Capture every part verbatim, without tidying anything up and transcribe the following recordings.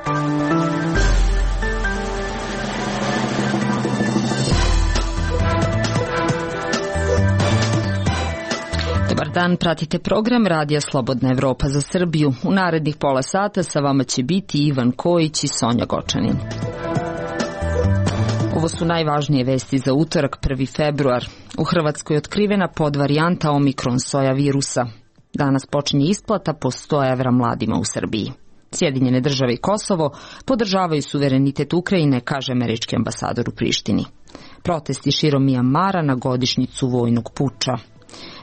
Dobar dan, pratite program Radija Slobodna Evropa za Srbiju. U narednih pola sata sa vama će biti Ivan Kojić i Sonja Gočanin. Ovo su najvažnije vesti za utorak, prvi februar. U Hrvatskoj je otkrivena podvarijanta Omikron soja virusa. Danas počinje isplata po sto evra mladima u Srbiji. Sjedinjene države i Kosovo podržavaju suverenitet Ukrajine, kaže američki ambasador u Prištini. Protesti širom Mijamara na godišnjicu vojnog puča.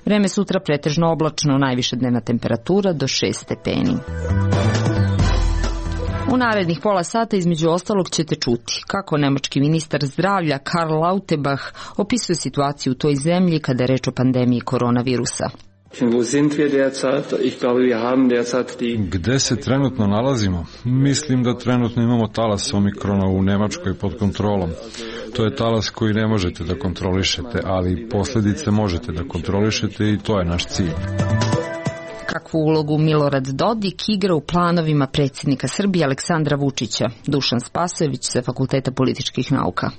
Vreme sutra pretežno oblačno, najviša dnevna temperatura do šest stepeni. U narednih pola sata između ostalog ćete čuti kako nemački ministar zdravlja Karl Lauterbach opisuje situaciju u toj zemlji kada je reč o pandemiji koronavirusa. Gde se trenutno nalazimo? Mislim da trenutno imamo talas Omikrona u Nemačkoj pod kontrolom. To je talas koji ne možete da kontrolišete, ali posljedice možete da kontrolišete i to je naš cilj. Kakvu ulogu Milorad Dodik igra u planovima predsjednika Srbije Aleksandra Vučića? Dušan Spasojević sa Fakulteta političkih nauka.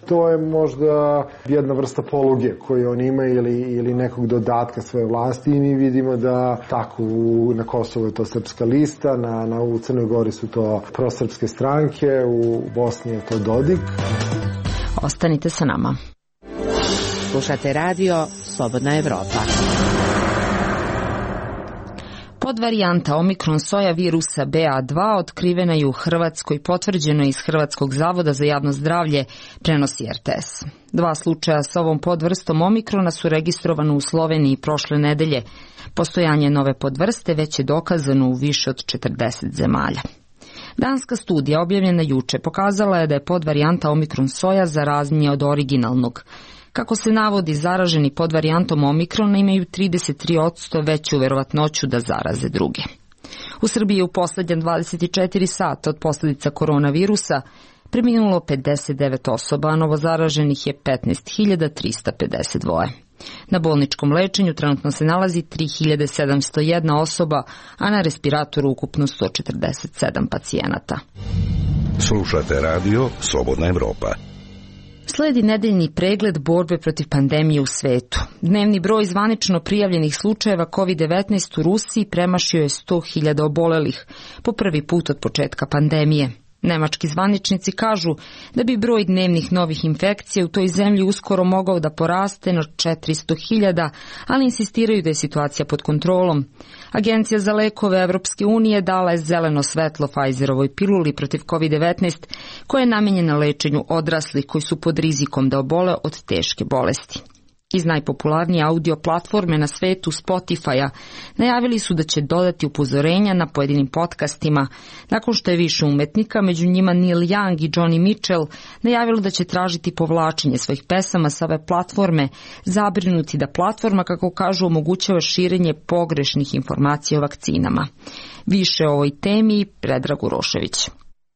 To je možda jedna vrsta poluge koju on ima ili, ili nekog dodatka svoje vlasti i mi vidimo da tako u, na Kosovu je to Srpska lista, na, na, u Crnoj Gori su to prosrpske stranke, u Bosni je to Dodik. Ostanite sa nama. Slušate radio Slobodna Evropa. Podvarijanta Omikron soja virusa B A dva otkrivena je u Hrvatskoj, potvrđeno iz Hrvatskog zavoda za javno zdravlje, prenosi R T S. Dva slučaja sa ovom podvrstom Omikrona su registrovane u Sloveniji prošle nedelje. Postojanje nove podvrste već je dokazano u više od četrdeset zemalja. Danska studija objavljena juče pokazala je da je podvarijanta Omikron soja zaraznija od originalnog. Kako se navodi, zaraženi podvarijantom Omikrona imaju trideset tri posto veću verovatnoću da zaraze druge. U Srbiji je u posljednja dvadeset četiri sata od posljedica koronavirusa preminulo pedeset devet osoba, a novozaraženih je petnaest hiljada trista pedeset dva. Na bolničkom lečenju trenutno se nalazi tri hiljade sedamsto jedna osoba, a na respiratoru ukupno sto četrdeset sedam pacijenata. Slušate radio Slobodna Evropa. Sledi nedeljni pregled borbe protiv pandemije u svetu. Dnevni broj zvanično prijavljenih slučajeva kovid devetnaest u Rusiji premašio je sto hiljada obolelih, po prvi put od početka pandemije. Nemački zvaničnici kažu da bi broj dnevnih novih infekcija u toj zemlji uskoro mogao da poraste na četiristo hiljada, ali insistiraju da je situacija pod kontrolom. Agencija za lekove Evropske unije dala je zeleno svetlo Pfizerovoj piluli protiv kovid devetnaest, koja je namenjena lečenju odraslih koji su pod rizikom da obole od teške bolesti. Iz najpopularnije audio platforme na svetu Spotify-a najavili su da će dodati upozorenja na pojedinim podcastima, nakon što je više umetnika, među njima Neil Young i Johnny Mitchell, najavilo da će tražiti povlačenje svojih pesama sa ove platforme, zabrinuti da platforma, kako kažu, omogućava širenje pogrešnih informacija o vakcinama. Više o ovoj temi Predrag Urošević.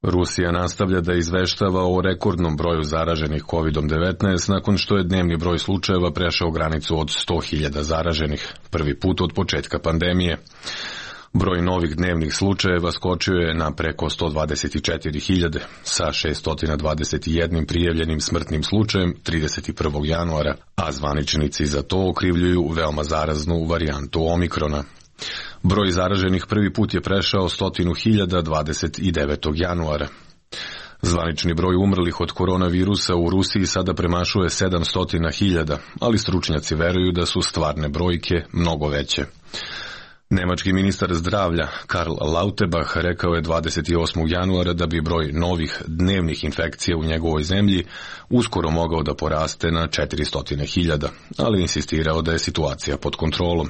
Rusija nastavlja da izveštava o rekordnom broju zaraženih kovid devetnaest nakon što je dnevni broj slučajeva prešao granicu od sto hiljada zaraženih, prvi put od početka pandemije. Broj novih dnevnih slučajeva skočio je na preko sto dvadeset četiri hiljade, sa šessto dvadeset jedan prijavljenim smrtnim slučajem trideset prvog januara, a zvaničnici za to okrivljuju veoma zaraznu varijantu Omikrona. Broj zaraženih prvi put je prešao stotinu hiljada dvadeset devetog januara. Zvanični broj umrlih od koronavirusa u Rusiji sada premašuje sedamsto hiljada, ali stručnjaci veruju da su stvarne brojke mnogo veće. Nemački ministar zdravlja Karl Lauterbach rekao je dvadeset osmog januara da bi broj novih dnevnih infekcija u njegovoj zemlji uskoro mogao da poraste na četiristo hiljada, ali insistirao da je situacija pod kontrolom.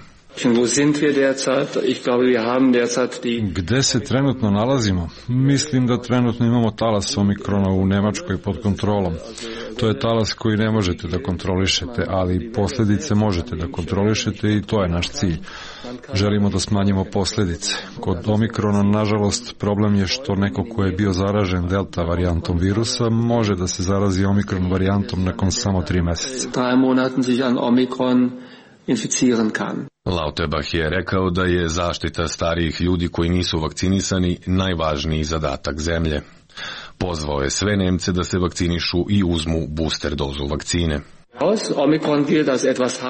Gde se trenutno nalazimo? Mislim da trenutno imamo talas Omikrona u Nemačkoj pod kontrolom. To je talas koji ne možete da kontrolišete, ali posljedice možete da kontrolišete i to je naš cilj. Želimo da smanjimo posljedice. Kod Omikrona, nažalost, problem je što neko ko je bio zaražen delta varijantom virusa može da se zarazi Omikron varijantom nakon samo tri meseca. inficieren kann. Lauterbach je rekao da je zaštita starijih ljudi koji nisu vakcinisani najvažniji zadatak zemlje. Pozvao je sve Nemce da se vakcinišu i uzmu booster dozu vakcine.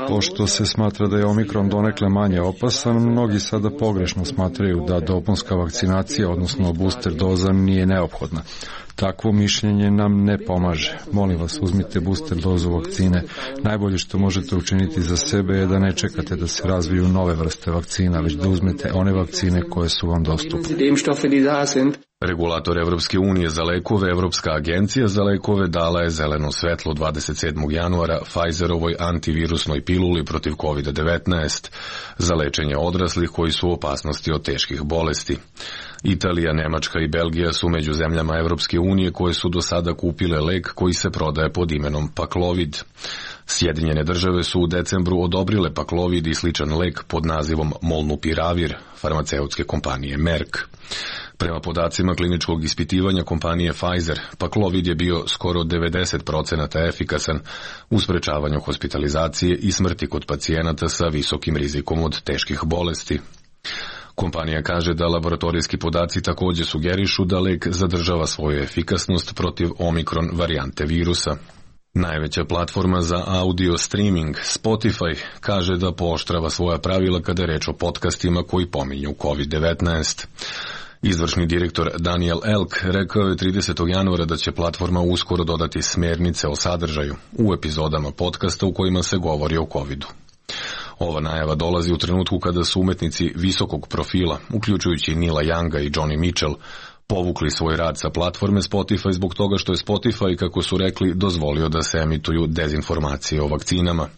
Pošto se smatra da je Omikron donekle manje opasan, mnogi sada pogrešno smatraju da dopunska vakcinacija, odnosno booster doza, nije neophodna. Takvo mišljenje nam ne pomaže. Molim vas, uzmite booster dozu vakcine. Najbolje što možete učiniti za sebe je da ne čekate da se razviju nove vrste vakcina, već da uzmete one vakcine koje su vam dostupne. Regulator Evropske unije za lekove, Evropska agencija za lekove, dala je zeleno svetlo dvadeset sedmog januara Pfizerovoj antivirusnoj piluli protiv kovid devetnaest za lečenje odraslih koji su u opasnosti od teških bolesti. Italija, Nemačka i Belgija su među zemljama Evropske unije koje su do sada kupile lek koji se prodaje pod imenom Paxlovid. Sjedinjene države su u decembru odobrile Paxlovid i sličan lek pod nazivom Molnupiravir farmaceutske kompanije Merck. Prema podacima kliničkog ispitivanja kompanije Pfizer, Paxlovid je bio skoro devedeset procenata efikasan u sprečavanju hospitalizacije i smrti kod pacijenata sa visokim rizikom od teških bolesti. Kompanija kaže da laboratorijski podaci također sugerišu da lek zadržava svoju efikasnost protiv Omikron varijante virusa. Najveća platforma za audio streaming, Spotify, kaže da pooštrava svoja pravila kada je reč o podcastima koji pominju kovid devetnaest. Izvršni direktor Daniel Elk rekao je tridesetog januara da će platforma uskoro dodati smjernice o sadržaju u epizodama podcasta u kojima se govori o covidu. Ova najava dolazi u trenutku kada su umetnici visokog profila, uključujući Neila Younga i Johnny Mitchell, povukli svoj rad sa platforme Spotify zbog toga što je Spotify, kako su rekli, dozvolio da se emituju dezinformacije o vakcinama.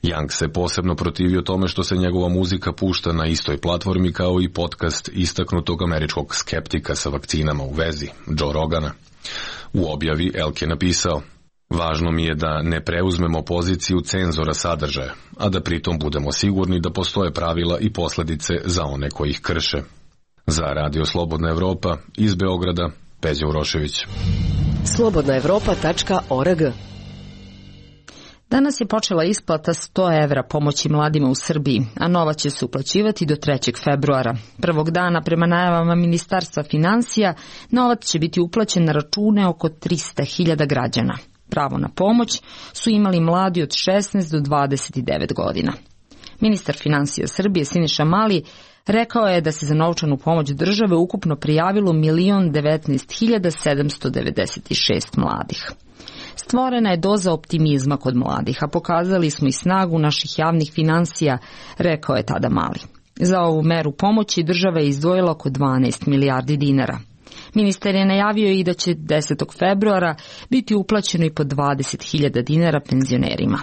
Young se posebno protivio tome što se njegova muzika pušta na istoj platformi kao i podcast istaknutog američkog skeptika sa vakcinama u vezi, Joe Rogana. U objavi Elk je napisao: "Važno mi je da ne preuzmemo poziciju cenzora sadržaja, a da pritom budemo sigurni da postoje pravila i posljedice za one koji ih krše." Za Radio Slobodna Evropa iz Beograda, Peđa Urošević. slobodna evropa tačka org. Danas je počela isplata sto evra pomoći mladima u Srbiji, a nova će se uplaćivati do trećeg februara. Prvog dana, prema najavama Ministarstva finansija, novac će biti uplaćen na račune oko trista hiljada građana. Pravo na pomoć su imali mladi od šesnaest do dvadeset devet godina. Ministar finansija Srbije Siniša Mali rekao je da se za novčanu pomoć države ukupno prijavilo milion devetnaest hiljada sedamsto devedeset šest mladih. Stvorena je doza optimizma kod mladih, a pokazali smo i snagu naših javnih finansija, rekao je tada Mali. Za ovu meru pomoći država je izdvojila oko dvanaest milijardi dinara. Ministar je najavio i da će desetog februara biti uplaćeno i po dvadeset hiljada dinara penzionerima.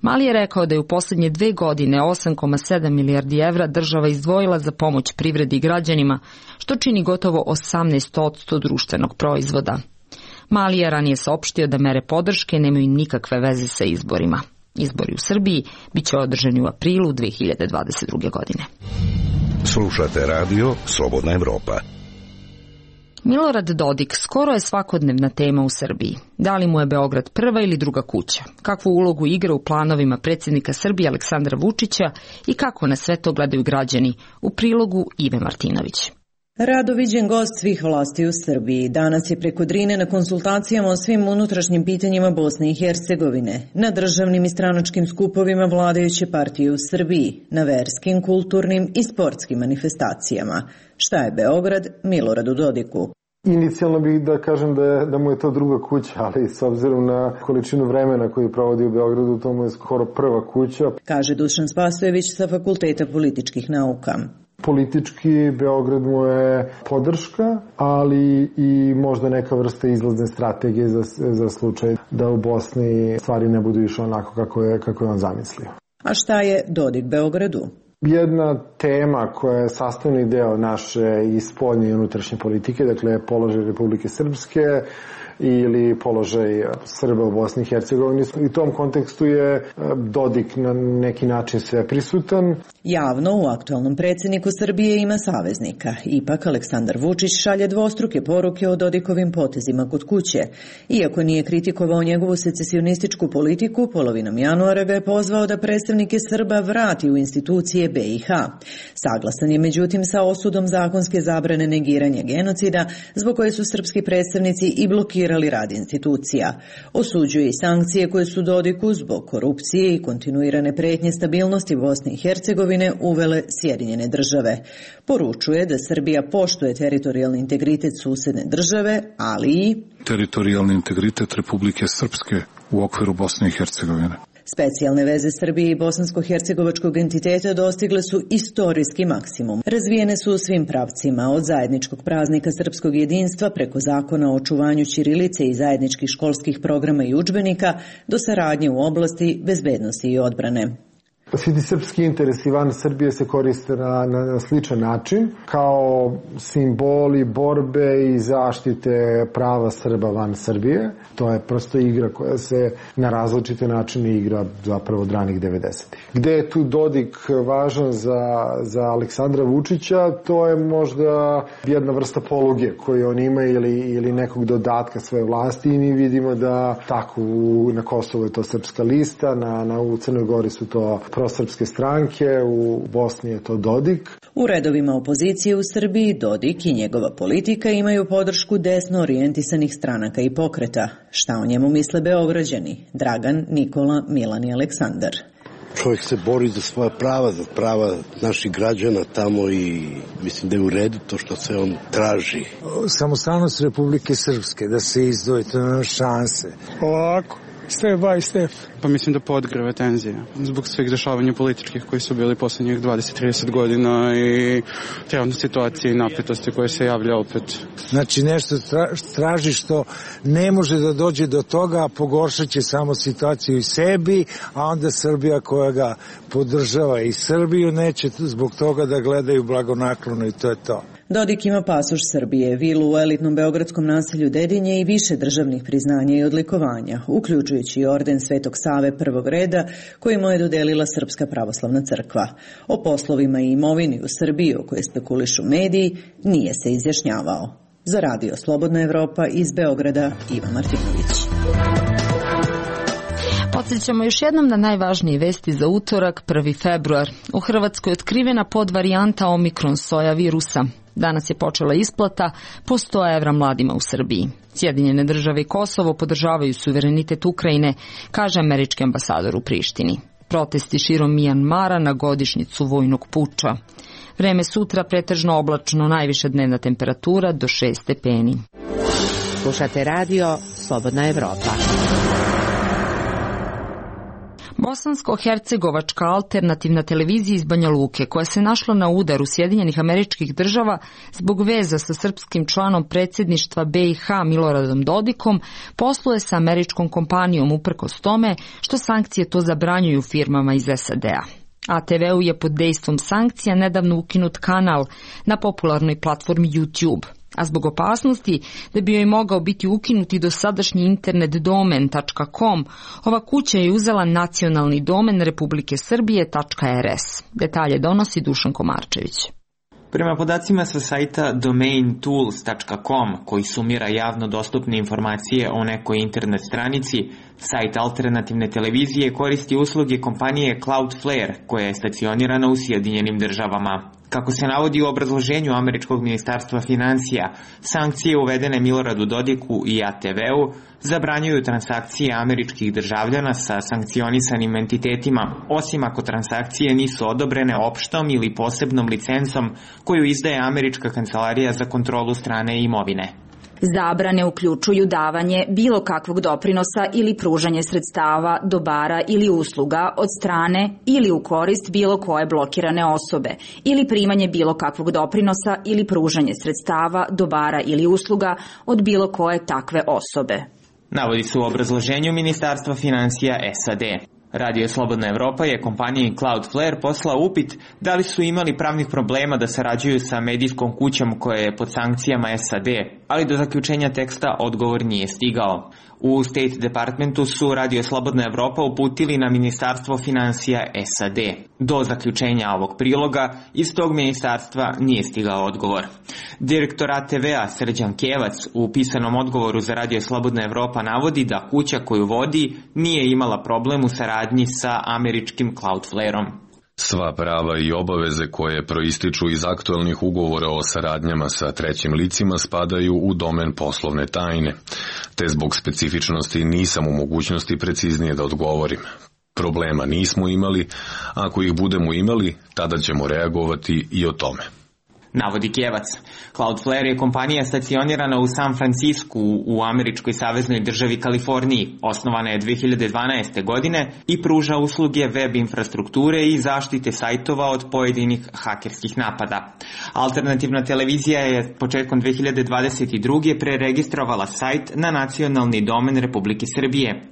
Mali je rekao da je u posljednje dve godine osam zarez sedam milijardi evra država izdvojila za pomoć privredi i građanima, što čini gotovo osamnaest posto društvenog proizvoda. Mali je ranije saopštio da mere podrške nemaju nikakve veze sa izborima. Izbori u Srbiji biće održani u aprilu dve hiljade dvadeset druge. godine. Slušate radio Slobodna Evropa. Milorad Dodik skoro je svakodnevna tema u Srbiji. Da li mu je Beograd prva ili druga kuća? Kakvu ulogu igra u planovima predsjednika Srbije Aleksandra Vučića i kako na sve to gledaju građani? U prilogu Ive Martinović. Rado viđen gost svih vlasti u Srbiji. Danas je preko Drine na konsultacijama o svim unutrašnjim pitanjima Bosne i Hercegovine, na državnim i stranačkim skupovima vladajuće partije u Srbiji, na verskim, kulturnim i sportskim manifestacijama. Šta je Beograd Miloradu Dodiku? Inicijalno bih da kažem da, je, da mu je to druga kuća, ali s obzirom na količinu vremena koju provodi u Beogradu, to mu je skoro prva kuća. Kaže Dušan Spasojević sa Fakulteta političkih nauka. Politički Beograd mu je podrška, ali i možda neka vrsta izlazne strategije za, za slučaj da u Bosni stvari ne budu išle onako kako je, kako je on zamislio. A šta je Dodik Beogradu? Jedna tema koja je sastavni deo naše i spoljne i unutrašnje politike, dakle položaj Republike Srpske, ili položaj Srba u Bosni i Hercegovini. I u tom kontekstu je Dodik na neki način sve prisutan. Javno u aktualnom predsjedniku Srbije ima saveznika. Ipak Aleksandar Vučić šalje dvostruke poruke o Dodikovim potezima kod kuće. Iako nije kritikovao njegovu secesionističku politiku, polovinom januara ga je pozvao da predstavnike Srba vrati u institucije B i H. Saglasan je međutim sa osudom zakonske zabrane negiranja genocida, zbog koje su srpski predstavnici i blokirali rad institucija. Osuđuje i sankcije koje su Dodiku zbog korupcije i kontinuirane pretnje stabilnosti Bosne i Hercegovine uvele Sjedinjene države. Poručuje da Srbija poštuje teritorijalni integritet susedne države, ali i teritorijalni integritet Republike Srpske u okviru Bosne i Hercegovine. Specijalne veze Srbije i bosansko-hercegovačkog entiteta dostigle su istorijski maksimum. Razvijene su u svim pravcima, od zajedničkog praznika srpskog jedinstva preko zakona o očuvanju ćirilice i zajedničkih školskih programa i udžbenika do saradnje u oblasti bezbednosti i odbrane. Svi ti srpski interesi van Srbije se koriste na, na, na sličan način, kao simboli borbe i zaštite prava Srba van Srbije. To je prosto igra koja se na različite načine igra zapravo od ranih devedesetih. Gde je tu Dodik važan za, za Aleksandra Vučića, to je možda jedna vrsta poluge koju on ima ili, ili nekog dodatka svoje vlasti i mi vidimo da tako u, na Kosovu je to Srpska lista, na, na, u Crnoj Gori su to prosrpske stranke, u Bosni je to Dodik. U redovima opozicije u Srbiji Dodik i njegova politika imaju podršku desno orijentisanih stranaka i pokreta. Šta o njemu misle Beograđani? Dragan, Nikola, Milan i Aleksandar. Čovjek se bori za svoja prava, za prava naših građana tamo i mislim da je u redu to što se on traži. Samostalnost Republike Srpske, da se izdvoji, to nema šanse. Ovako. Step by step. Pa mislim da podgreve tenzije zbog svih dešavanja političkih koji su bili posljednjih dvadeset do trideset godina i trenutne situacije i napetosti koje se javlja opet. Znači nešto traži što ne može da dođe do toga, a pogoršat će samo situaciju i sebi, a onda Srbija koja ga podržava i Srbiju neće zbog toga da gledaju blagonaklono i to je to. Dodik ima pasoš Srbije, vilu u elitnom beogradskom naselju Dedinje i više državnih priznanja i odlikovanja, uključujući i orden Svetog Save prvog reda koji mu je dodelila Srpska pravoslavna crkva. O poslovima i imovini u Srbiji o kojoj spekulišu mediji nije se izjašnjavao. Za Radio Slobodna Evropa iz Beograda, Iva Martinović. Podsjećamo još jednom na najvažnije vesti za utorak, prvi februar. U Hrvatskoj je otkrivena podvarijanta Omikron soja virusa. Danas je počela isplata po sto evra mladima u Srbiji. Sjedinjene države i Kosovo podržavaju suverenitet Ukrajine, kaže američki ambasador u Prištini. Protesti širom Mijanmara na godišnjicu vojnog puča. Vreme sutra pretežno oblačno, najviša dnevna temperatura do šest stepeni. Slušate radio Slobodna Evropa. Bosansko-hercegovačka alternativna televizija iz Banja Luke, koja se našla na udaru Sjedinjenih Američkih Država zbog veza sa srpskim članom predsjedništva B i H Miloradom Dodikom, posluje sa američkom kompanijom uprkos tome što sankcije to zabranjuju firmama iz S A D-a. A T V-u je pod dejstvom sankcija nedavno ukinut kanal na popularnoj platformi YouTube. A zbog opasnosti da bi joj mogao biti ukinuti dosadašnji internet domen .com, ova kuća je uzela nacionalni domen Republike Srbije .rs. Detalje donosi Dušan Komarčević. Prema podacima sa sajta domain tools dot com, koji sumira javno dostupne informacije o nekoj internet stranici, sajt alternativne televizije koristi usluge kompanije Cloudflare, koja je stacionirana u Sjedinjenim Državama. Kako se navodi u obrazloženju američkog ministarstva financija, sankcije uvedene Miloradu Dodiku i A T V-u zabranjuju transakcije američkih državljana sa sankcionisanim entitetima, osim ako transakcije nisu odobrene opštom ili posebnom licencom koju izdaje Američka kancelarija za kontrolu strane imovine. Zabrane uključuju davanje bilo kakvog doprinosa ili pružanje sredstava, dobara ili usluga od strane ili u korist bilo koje blokirane osobe ili primanje bilo kakvog doprinosa ili pružanje sredstava, dobara ili usluga od bilo koje takve osobe. Navodi se u obrazloženju Ministarstva financija S A D. Radio Slobodna Evropa je kompaniji Cloudflare poslao upit da li su imali pravnih problema da sarađuju sa medijskom kućom koja je pod sankcijama S A D, ali do zaključenja teksta odgovor nije stigao. U State Departmentu su Radio Slobodna Evropa uputili na Ministarstvo finansija S A D. Do zaključenja ovog priloga iz tog ministarstva nije stigao odgovor. Direktor A T V-a Srđan Kevac u pisanom odgovoru za Radio Slobodna Evropa navodi da kuća koju vodi nije imala problem u saradnji sa američkim Cloudflare-om. Sva prava i obaveze koje proističu iz aktualnih ugovora o saradnjama sa trećim licima spadaju u domen poslovne tajne, te zbog specifičnosti nisam u mogućnosti preciznije da odgovorim. Problema nismo imali, ako ih budemo imali, tada ćemo reagovati i o tome. Navodi Kevac. Cloudflare je kompanija stacionirana u San Francisku u američkoj saveznoj državi Kaliforniji. Osnovana je dve hiljade dvanaeste. godine i pruža usluge web infrastrukture i zaštite sajtova od pojedinih hakerskih napada. Alternativna televizija je početkom dve hiljade dvadeset druge. preregistrovala sajt na nacionalni domen Republike Srbije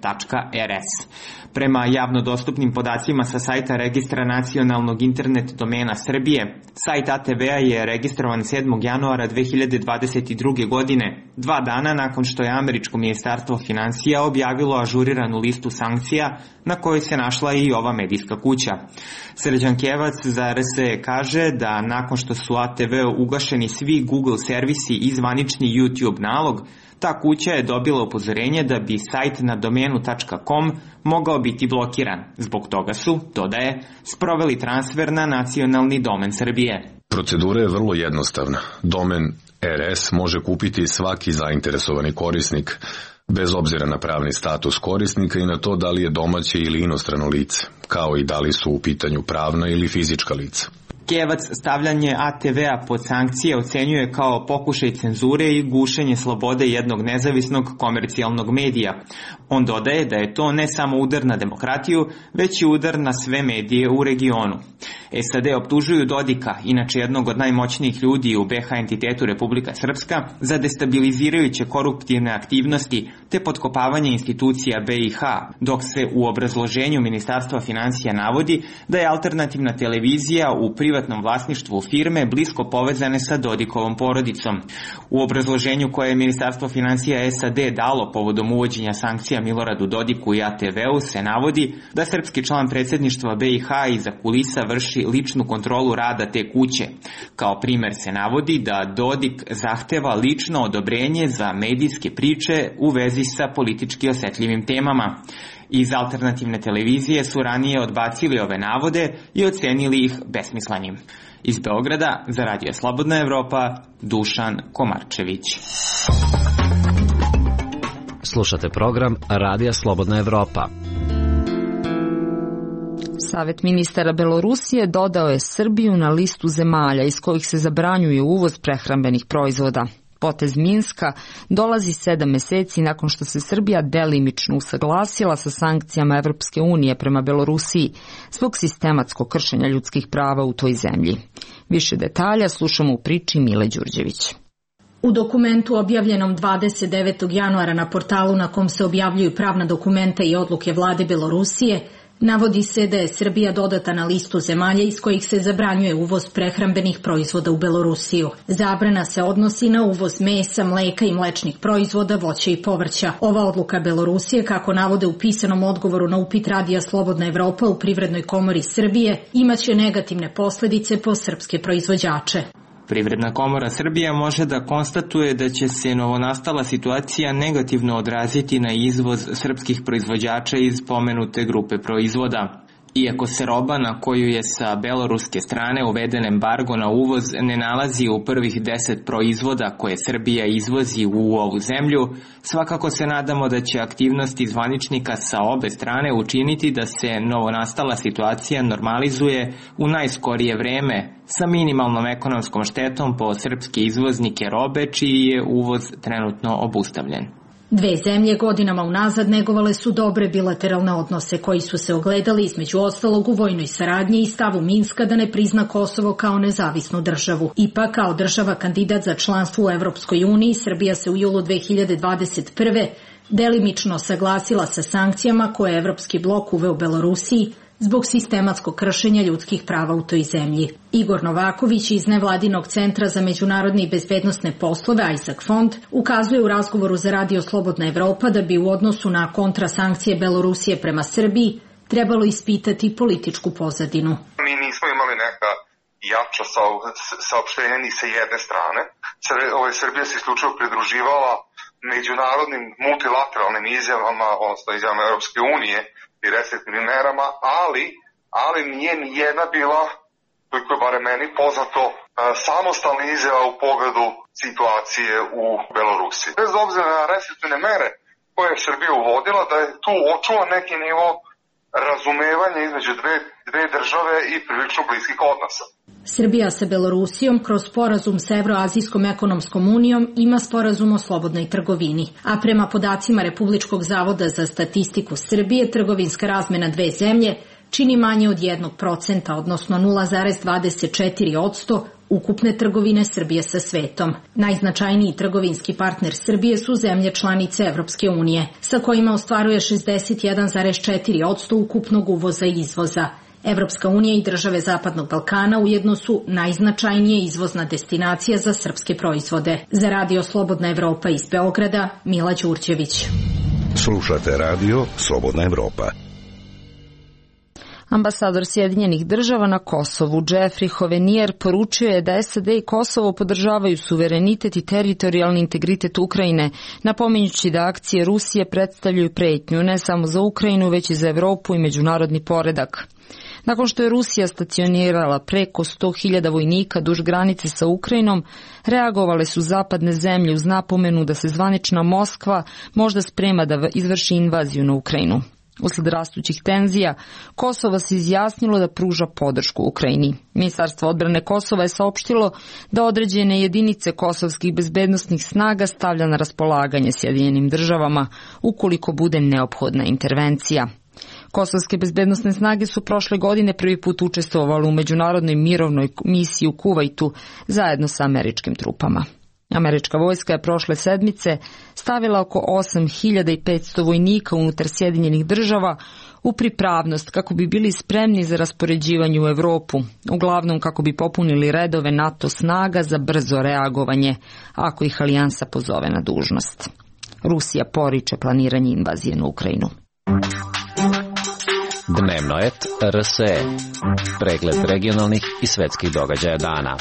.rs. Prema javno dostupnim podacima sa sajta Registra nacionalnog internet domena Srbije, sajt A T V-a je registrovan sedmog januara dve hiljade dvadeset druge. godine, dva dana nakon što je američko ministarstvo finansija objavilo ažuriranu listu sankcija na kojoj se našla i ova medijska kuća. Srđan Kevac za R S E kaže da nakon što su A T V-u ugašeni svi Google servisi i zvanični YouTube nalog, ta kuća je dobila upozorenje da bi sajt na domenu .com mogao biti blokiran. Zbog toga su, dodaje, sproveli transfer na nacionalni domen Srbije. Procedura je vrlo jednostavna. Domen R S može kupiti svaki zainteresovani korisnik, bez obzira na pravni status korisnika i na to da li je domaće ili inostrano lice, kao i da li su u pitanju pravna ili fizička lica. Kevac stavljanje A T V-a pod sankcije ocenjuje kao pokušaj cenzure i gušenje slobode jednog nezavisnog komercijalnog medija. On dodaje da je to ne samo udar na demokratiju, već i udar na sve medije u regionu. S A D optužuju Dodika, inače jednog od najmoćnijih ljudi u B H entitetu Republika Srpska, za destabilizirajuće koruptivne aktivnosti te potkopavanje institucija B i H, dok se u obrazloženju Ministarstva finansija navodi da je alternativna televizija u privatnom vlasništvu firme blisko povezane sa Dodikovom porodicom. U obrazloženju koje je Ministarstvo finansija S A D dalo povodom uvođenja sankcija Miloradu Dodiku i A T V-u se navodi da srpski član predsjedništva B i H iza kulisa vrši ličnu kontrolu rada te kuće. Kao primer se navodi da Dodik zahteva lično odobrenje za medijske priče u vezi sa politički osetljivim temama. Iz alternativne televizije su ranije odbacili ove navode i ocenili ih besmislenim. Iz Beograda za Radio Slobodna Evropa, Dušan Komarčević. Slušate program Radija Slobodna Evropa. Savet ministara Belorusije dodao je Srbiju na listu zemalja iz kojih se zabranjuje uvoz prehrambenih proizvoda. Potez Minska dolazi sedam meseci nakon što se Srbija delimično usaglasila sa sankcijama Evropske unije prema Belorusiji zbog sistematskog kršenja ljudskih prava u toj zemlji. Više detalja slušamo u priči Mile Đurđević. U dokumentu objavljenom dvadeset devetog januara na portalu na kom se objavljuju pravna dokumenta i odluke vlade Belorusije, navodi se da je Srbija dodata na listu zemalja iz kojih se zabranjuje uvoz prehrambenih proizvoda u Belorusiju. Zabrana se odnosi na uvoz mesa, mleka i mlečnih proizvoda, voća i povrća. Ova odluka Belorusije, kako navode u pisanom odgovoru na upit Radija Slobodna Evropa u Privrednoj komori Srbije, imaće negativne posledice po srpske proizvođače. Privredna komora Srbije može da konstatuje da će se novonastala situacija negativno odraziti na izvoz srpskih proizvođača iz pomenute grupe proizvoda. Iako se roba na koju je sa beloruske strane uveden embargo na uvoz ne nalazi u prvih deset proizvoda koje Srbija izvozi u ovu zemlju, svakako se nadamo da će aktivnosti zvaničnika sa obe strane učiniti da se novonastala situacija normalizuje u najskorije vreme sa minimalnom ekonomskom štetom po srpske izvoznike robe čiji je uvoz trenutno obustavljen. Dve zemlje godinama unazad negovale su dobre bilateralne odnose koji su se ogledali između ostalog u vojnoj saradnji i stavu Minska da ne prizna Kosovo kao nezavisnu državu. Ipak, kao država kandidat za članstvo u Evropskoj uniji, Srbija se u julu dve hiljade dvadeset prve delimično saglasila sa sankcijama koje je Evropski blok uveo Belorusiji zbog sistematskog kršenja ljudskih prava u toj zemlji. Igor Novaković iz Nevladinog centra za međunarodne i bezbednosne poslove Isaac Fond ukazuje u razgovoru za Radio Slobodna Evropa da bi u odnosu na kontrasankcije Belorusije prema Srbiji trebalo ispitati političku pozadinu. Mi nismo imali neka jača saopštenja ni sa jedne strane. Srbija se isključivo pridruživala međunarodnim multilateralnim izjavama, odnosno izjavama Europske unije i restriktivnim merama, ali, ali nije ni jedna bila, koliko je bare meni poznato, samostalna izjava u pogledu situacije u Belorusiji. Bez obzira na restriktivne mere koje je Srbija uvodila, da je tu očuvan neki nivo razumevanja između dve, dve države i prilično bliskih odnosa. Srbija sa Belorusijom kroz sporazum sa Evroazijskom ekonomskom unijom ima sporazum o slobodnoj trgovini, a prema podacima Republičkog zavoda za statistiku Srbije, trgovinska razmena dve zemlje čini manje od jednog procenta, odnosno nula zarez dvadeset četiri posto ukupne trgovine Srbije sa svetom. Najznačajniji trgovinski partner Srbije su zemlje članice Evropske unije, sa kojima ostvaruje šezdeset jedan zarez četiri posto ukupnog uvoza i izvoza. Evropska unija i države Zapadnog Balkana ujedno su najznačajnije izvozna destinacija za srpske proizvode. Za Radio Slobodna Evropa iz Beograda, Mila Đurđević. Slušate Radio Slobodna Evropa. Ambasador Sjedinjenih država na Kosovu, Jeffrey Hovenier, poručio je da S A D i Kosovo podržavaju suverenitet i teritorijalni integritet Ukrajine, napominjući da akcije Rusije predstavljaju pretnju ne samo za Ukrajinu, već i za Evropu i međunarodni poredak. Nakon što je Rusija stacionirala preko sto hiljada vojnika duž granice sa Ukrajinom, reagovale su zapadne zemlje uz napomenu da se zvanična Moskva možda sprema da izvrši invaziju na Ukrajinu. Usled rastućih tenzija, Kosovo se izjasnilo da pruža podršku Ukrajini. Ministarstvo odbrane Kosova je saopštilo da određene jedinice kosovskih bezbednosnih snaga stavlja na raspolaganje Sjedinjenim državama ukoliko bude neophodna intervencija. Kosovske bezbednosne snage su prošle godine prvi put učestvovali u međunarodnoj mirovnoj misiji u Kuvajtu zajedno sa američkim trupama. Američka vojska je prošle sedmice stavila oko osam hiljada petsto vojnika unutar Sjedinjenih država u pripravnost kako bi bili spremni za raspoređivanje u Evropu, uglavnom kako bi popunili redove NATO snaga za brzo reagovanje ako ih alijansa pozove na dužnost. Rusija poriče planiranje invazije na Ukrajinu. Dnevno et R S E. Pregled regionalnih i svetskih događaja dana.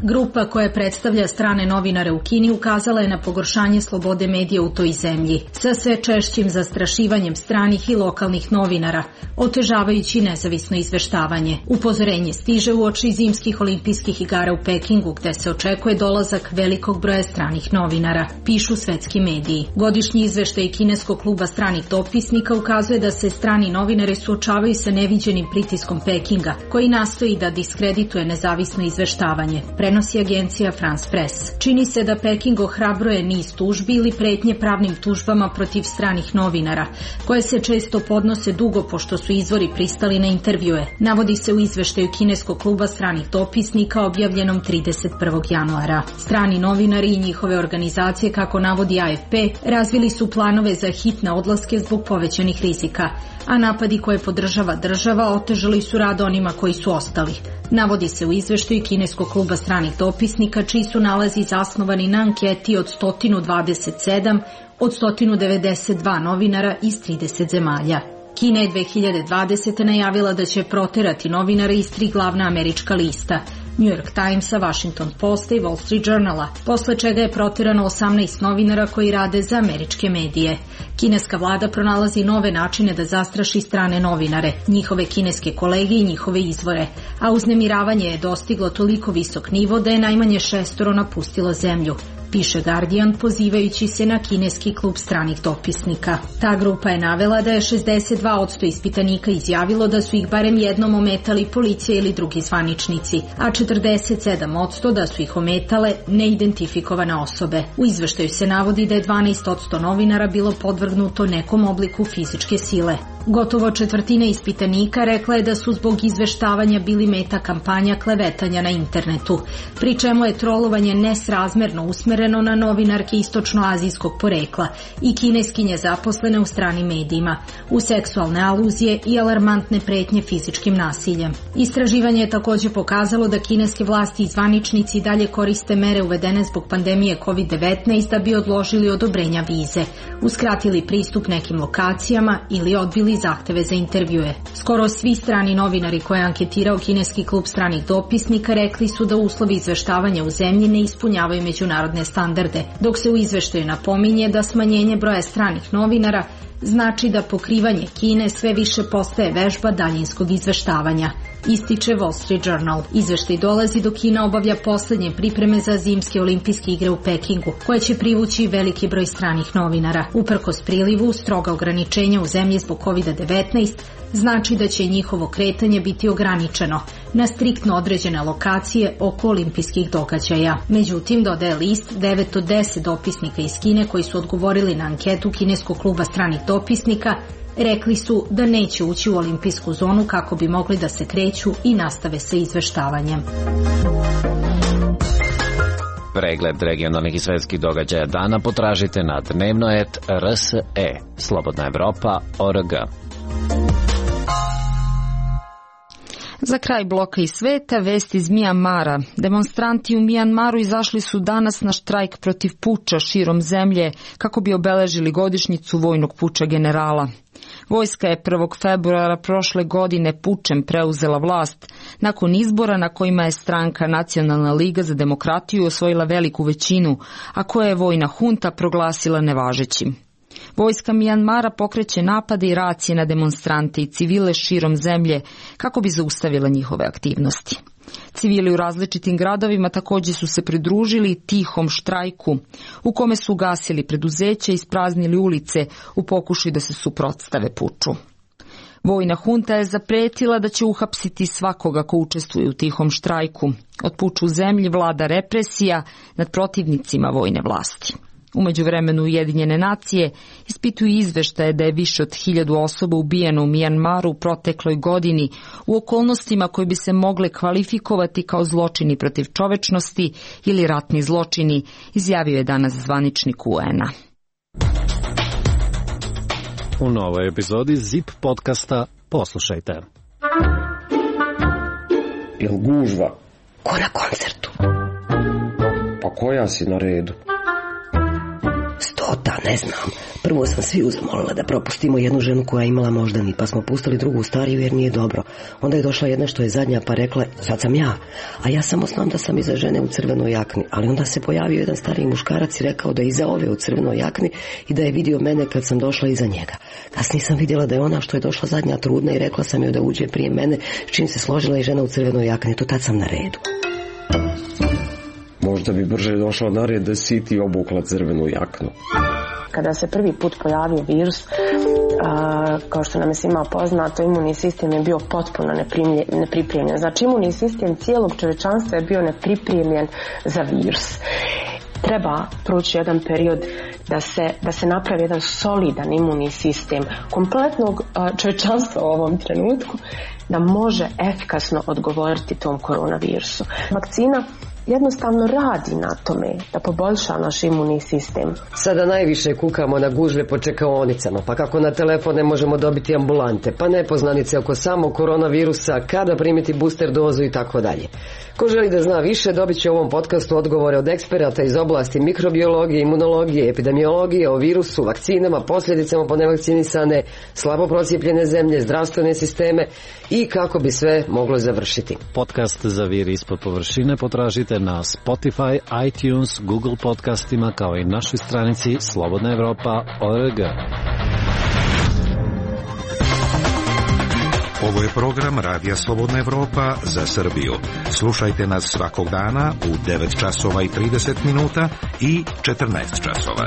Grupa koja predstavlja strane novinare u Kini ukazala je na pogoršanje slobode medija u toj zemlji, sa sve češćim zastrašivanjem stranih i lokalnih novinara, otežavajući nezavisno izveštavanje. Upozorenje stiže uoči zimskih olimpijskih igara u Pekingu, gde se očekuje dolazak velikog broja stranih novinara, pišu svetski mediji. Godišnji izveštaj kineskog kluba stranih dopisnika ukazuje da se strani novinari suočavaju sa neviđenim pritiskom Pekinga, koji nastoji da diskredituje nezavisno izveštavanje, prenosi agencija France Press. Čini se da Peking ohrabruje niz tužbi ili pretnje pravnim tužbama protiv stranih novinara, koje se često podnose dugo pošto su izvori pristali na intervjue. Navodi se u izveštaju kineskog kluba stranih dopisnika objavljenom trideset prvog januara. Strani novinari i njihove organizacije, kako navodi A F P, razvili su planove za hitne odlaske zbog povećanih rizika, a napadi koje podržava država otežali su rad onima koji su ostali. Navodi se u izveštaju kineskog kluba stranih dopisnika, čiji su nalazi zasnovani na anketi od sto dvadeset sedam od sto devedeset dva novinara iz trideset zemalja. Kina je dve hiljade dvadesete. najavila da će proterati novinare iz tri glavna američka lista, New York Timesa, Washington Posta i Wall Street Journala, posle čega je proterano osamnaest novinara koji rade za američke medije. Kineska vlada pronalazi nove načine da zastraši strane novinare, njihove kineske kolege i njihove izvore, a uznemiravanje je dostiglo toliko visok nivo da je najmanje šestoro napustilo zemlju. piše Guardian pozivajući se na kineski klub stranih dopisnika. Ta grupa je navela da je šezdeset dva posto ispitanika izjavilo da su ih barem jednom ometali policija ili drugi zvaničnici, a četrdeset sedam posto da su ih ometale neidentifikovane osobe. U izveštaju se navodi da je dvanaest posto novinara bilo podvrgnuto nekom obliku fizičke sile. Gotovo četvrtina ispitanika rekla je da su zbog izveštavanja bili meta kampanja klevetanja na internetu, pri čemu je trolovanje nesrazmerno usmereno na novinarke istočnoazijskog porekla i kineskinje zaposlene u stranim medijima, u seksualne aluzije i alarmantne pretnje fizičkim nasiljem. Istraživanje je također pokazalo da kineske vlasti i zvaničnici dalje koriste mere uvedene zbog pandemije kovid devetnaest da bi odložili odobrenja vize, uskratili pristup nekim lokacijama ili odbili zahteve za intervjue. Skoro svi strani novinari koje je anketirao kineski klub stranih dopisnika rekli su da uslovi izveštavanja u zemlji ne ispunjavaju međunarodne standarde, dok se u izveštaju napominje da smanjenje broja stranih novinara znači da pokrivanje Kine sve više postaje vežba daljinskog izveštavanja, ističe Wall Street Journal. Izveštaj dolazi dok Kina obavlja poslednje pripreme za zimske olimpijske igre u Pekingu, koje će privući veliki broj stranih novinara. Uprkos prilivu, stroga ograničenja u zemlji zbog kovid devetnaest znači da će njihovo kretanje biti ograničeno na striktno određene lokacije oko olimpijskih događaja. Međutim, dodaje list, devet od deset dopisnika iz Kine koji su odgovorili na anketu kineskog kluba stranih dopisnika rekli su da neće ući u olimpijsku zonu kako bi mogli da se kreću i nastave sa izveštavanjem. Pregled regionalnih i svetskih događaja dana potražite na dnevnoet R S E, Slobodna Evropa, O R G. Za kraj bloka i sveta, vest iz Mijanmara. Demonstranti u Mijanmaru izašli su danas na štrajk protiv puča širom zemlje kako bi obeležili godišnjicu vojnog puča generala. Vojska je prvog februara prošle godine pučem preuzela vlast nakon izbora na kojima je stranka Nacionalna liga za demokratiju osvojila veliku većinu, a koje je vojna hunta proglasila nevažećim. Vojska Mijanmara pokreće napade i racije na demonstrante i civile širom zemlje kako bi zaustavila njihove aktivnosti. Civili u različitim gradovima također su se pridružili tihom štrajku u kome su ugasili preduzeća i ispraznili ulice u pokušaju da se suprotstave puču. Vojna hunta je zapretila da će uhapsiti svakoga ko učestvuje u tihom štrajku. Od puča u zemlji vlada represija nad protivnicima vojne vlasti. U međuvremenu Ujedinjene nacije ispituju izveštaje da je više od hiljadu osoba ubijeno u Mijanmaru u protekloj godini u okolnostima koje bi se mogle kvalifikovati kao zločini protiv čovečnosti ili ratni zločini, izjavio je danas zvaničnik U N-a. U novoj epizodi Zip podcasta poslušajte. Jel gužva? Ko na koncertu? Pa koja si na redu? Stota, ne znam. Prvo sam svi zamolila da propustimo jednu ženu koja je imala moždani, pa smo pustili drugu stariju jer nije dobro. Onda je došla jedna što je zadnja pa rekla, sad sam ja. A ja samo znam da sam iza žene u crvenoj jakni. Ali onda se pojavio jedan stariji muškarac i rekao da je iza ove u crvenoj jakni i da je vidio mene kad sam došla iza njega. Kasnije sam vidjela da je ona što je došla zadnja trudna i rekla sam joj da uđe prije mene, s čim se složila i žena u crvenoj jakni. To tad sam na redu. Možda bi brže došla na red da si ti obukla crvenu jaknu. Kada se prvi put pojavio virus, a, kao što nam je svima poznato, imunni sistem je bio potpuno nepripremljen. Znači, imunni sistem cijelog čovječanstva je bio nepripremljen za virus. Treba proći jedan period da se, da se napravi jedan solidan imunni sistem kompletnog čovječanstva u ovom trenutku da može efikasno odgovoriti tom koronavirusu. Vakcina jednostavno radi na tome da poboljša naš imunni sistem. Sada najviše kukamo na gužve po čekaonicama, pa kako na telefon ne možemo dobiti ambulante, pa nepoznanice oko samog koronavirusa, kada primiti booster dozu i tako dalje. Ko želi da zna više, dobit će u ovom podcastu odgovore od eksperata iz oblasti mikrobiologije, imunologije, epidemiologije, o virusu, vakcinama, posljedicama po nevakcinisane, slabo procijepljene zemlje, zdravstvene sisteme i kako bi sve moglo završiti. Podcast za vir ispod površine potražite na Spotify, iTunes, Google podcastima kao i našoj stranici Slobodna Evropa O R G. Ovo je program Radija Slobodna Evropa za Srbiju. Slušajte nas svakog dana u devet časova i trideset minuta i četrnaest časova.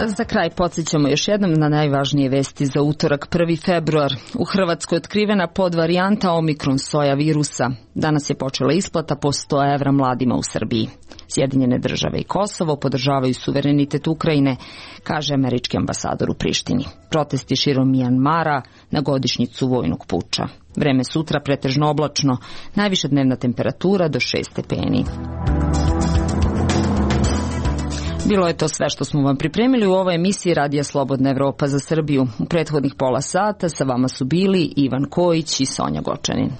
Za kraj podsjećamo još jednom na najvažnije vesti za utorak prvi februar. U Hrvatskoj je otkrivena podvarijanta Omikron soja virusa. Danas je počela isplata po sto evra mladima u Srbiji. Sjedinjene države i Kosovo podržavaju suverenitet Ukrajine, kaže američki ambasador u Prištini. Protesti širom Mijanmara na godišnjicu vojnog puča. Vreme sutra pretežno oblačno, najviša dnevna temperatura do šest stepeni. Bilo je to sve što smo vam pripremili u ovoj emisiji Radija Slobodna Evropa za Srbiju. U prethodnih pola sata sa vama su bili Ivan Kojić i Sonja Gočanin.